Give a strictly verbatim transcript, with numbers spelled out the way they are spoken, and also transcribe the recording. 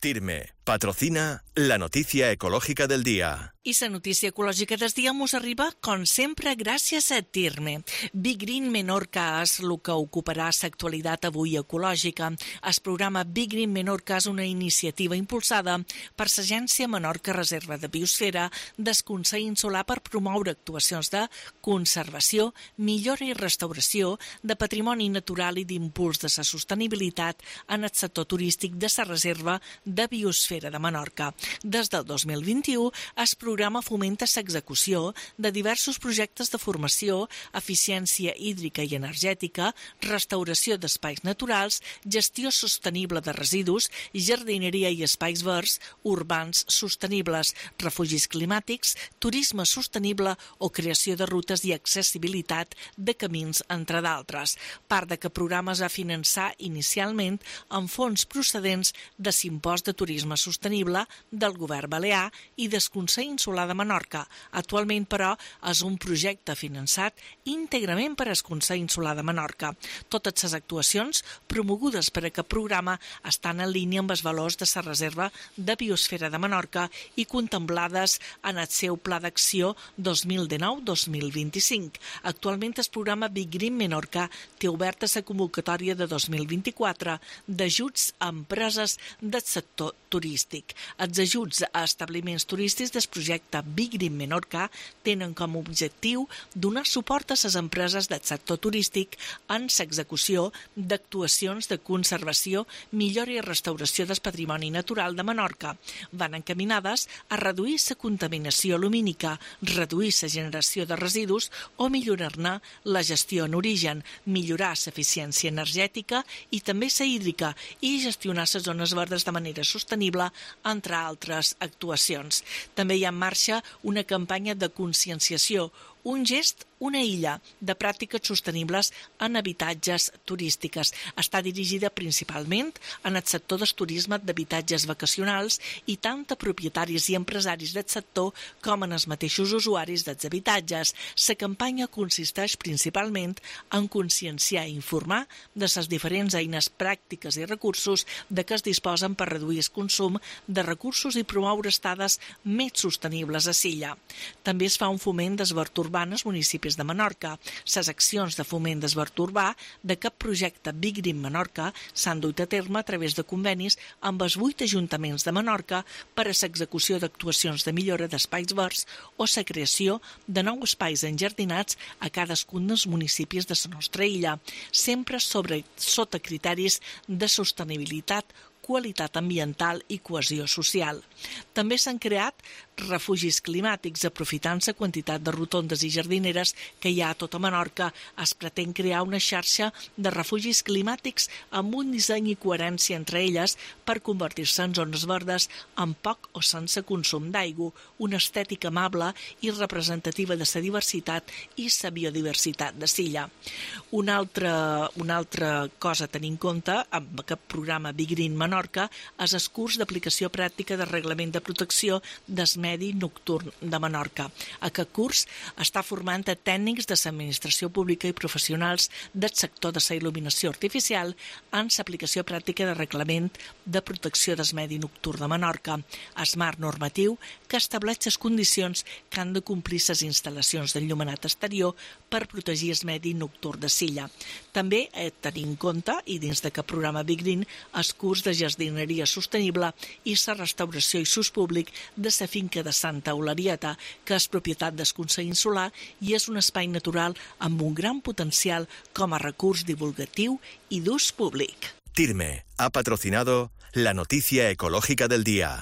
Tirme patrocina la noticia ecológica del día. I la notícia ecològica del dia mos arriba, com sempre, gràcies a Tirme. Big Green Menorca és el que ocuparà l'actualitat avui ecològica. El programa Big Green Menorca és una iniciativa impulsada per l'Agència Menorca Reserva de Biosfera del Consell Insular per promoure actuacions de conservació, millora i restauració de patrimoni natural i d'impuls de la sostenibilitat en el sector turístic de la Reserva de Biosfera de Menorca. Des del dos mil vint-i-u, el programa fomenta l'execució de diversos projectes de formació, eficiència hídrica i energètica, restauració d'espais naturals, gestió sostenible de residus, jardineria i espais verds, urbans sostenibles, refugis climàtics, turisme sostenible o creació de rutes i accessibilitat de camins, entre d'altres. Part d'aquest programa es va finançar inicialment amb fons procedents de l'Impost de Turisme Sostenible del Govern Balear i del Consell Insular de Menorca. Actualment, però, és un projecte finançat íntegrament per al Consell Insular de Menorca. Totes les actuacions promogudes per aquest programa estan en línia amb els valors de la Reserva de Biosfera de Menorca i contemplades en el seu Pla d'Acció dos mil dinou dos mil vint-i-cinc. Actualment, el programa Big Green Menorca té oberta la convocatòria de dos mil vint-i-quatre d'ajuts a empreses del sector turístic. Els ajuts a establiments turístics del projecte Big Green Menorca tenen com a objectiu donar suport a les empreses del sector turístic en l'execució d'actuacions de conservació, millora i restauració del patrimoni natural de Menorca. Van encaminades a reduir la contaminació lumínica, reduir la generació de residus o millorar-ne la gestió en origen, millorar l'eficiència energètica i també la hídrica i gestionar les zones verdes de manera sostenible, entre altres actuacions. També hi ha en marxa una campanya de conscienciació, un gest, una illa, de pràctiques sostenibles en habitatges turístiques. Està dirigida principalment en el sector del turisme d'habitatges vacacionals i tant a propietaris i empresaris del sector com en els mateixos usuaris dels habitatges. La campanya consisteix principalment en conscienciar i informar de les diferents eines pràctiques i recursos de què es disposen per reduir el consum de recursos i promoure estades més sostenibles a l'illa. També es fa un foment d'esvert urbà als municipis de Menorca. Les accions de foment d'esvert urbà d'aquest projecte Big Green Menorca s'han dut a terme a través de convenis amb els vuit ajuntaments de Menorca per a l'execució d'actuacions de millora d'espais verds o la creació de nous espais enjardinats a cadascun dels municipis de la nostra illa, sempre sobre, sota criteris de sostenibilitat, qualitat ambiental i cohesió social. També s'han creat refugis climàtics, aprofitant la quantitat de rotondes i jardineres que hi ha a tota Menorca. Es pretén crear una xarxa de refugis climàtics amb un disseny i coherència entre elles per convertir-se en zones verdes amb poc o sense consum d'aigua, una estètica amable i representativa de la diversitat i la biodiversitat de l'illa. Una altra, una altra cosa a tenir en compte amb aquest programa Big Green Menorca és el curs d'aplicació pràctica del Reglament de Protecció del Medi Nocturn de Menorca. Aquest curs està formant a tècnics de l'administració pública i professionals del sector de la il·luminació artificial en l'aplicació pràctica del Reglament de Protecció del Medi Nocturn de Menorca, el marc normatiu que estableix les condicions que han de complir les instal·lacions d'enllumenat exterior per protegir el medi nocturn de l'illa. També he de tenir en compte, i dins d'aquest programa Big Green, el curs de jardineria sostenible i la restauració i s'ús públic de la finca de Santa Eularieta, que és propietat del Consell Insular i és un espai natural amb un gran potencial com a recurs divulgatiu i d'ús públic. Tirme ha patrocinado la noticia ecológica del día.